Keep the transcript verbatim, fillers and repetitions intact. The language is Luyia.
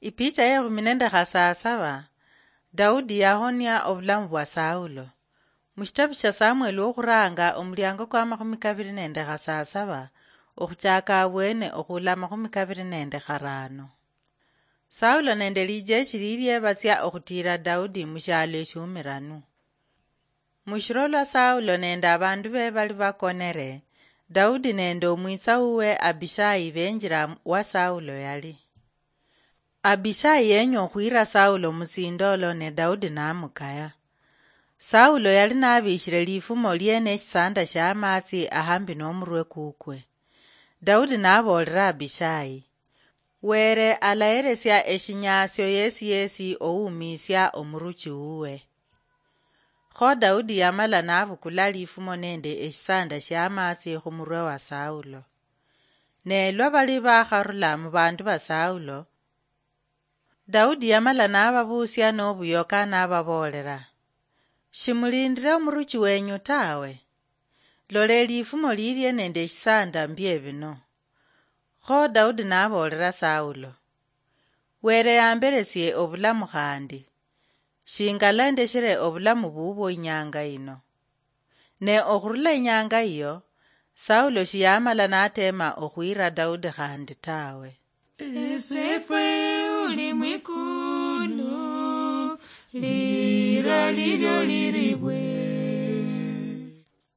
Ipicha yekhumi nende khasasaba. Daudi yahonia obulamu bwa Saulo. Mushitabu sha Samueli wokhuranga, omuliango kwa makhumi kabiri nende khasasaba, okhuchaka abwene okhula makhumi kabiri nende kharano. Saulo nende lijeshi lilie batsia okhutira Daudi mushialo eshiumiranu. Mushiro lwa Saulo nende abandu be bali bakonere, Daudi nende omwitsa wuwe Abishai benjira wa Saulo yali. Abishai yenya okhwira Saulo mutsindolo, ne Daudi namukaya. Saulo yali nabishire lifumo lie neshisanda shia amatsi ahambi nomurwe kukwe. Daudi naboolera Abishai, "Were alaheresia eshinyasio yesi yesi owumisia omuruchi wuwe." Kho Daudi yamala nabukula lifumo nende eshisanda shia amatsi khumurwe wa Saulo. Ne lwa bali bakharula mubandu ba Saulo, Daudi yamala nababuusia nobuyoka nababoolera, "Shimulindire omuruchi wenyu tawe. Lola elifumo lilie nende eshisanda mbie bino." Kho Daudi naboolera Saulo, "Were yamberesie obulamu khandi. Shingala ndeshere obulamu bubwo inyanga ino." Ne okhurula inyanga iyo, Saulo shiyamala natema okhwira Daudi khandi tawe. Esefwe uli mwikulu, lira lilyo liribwe.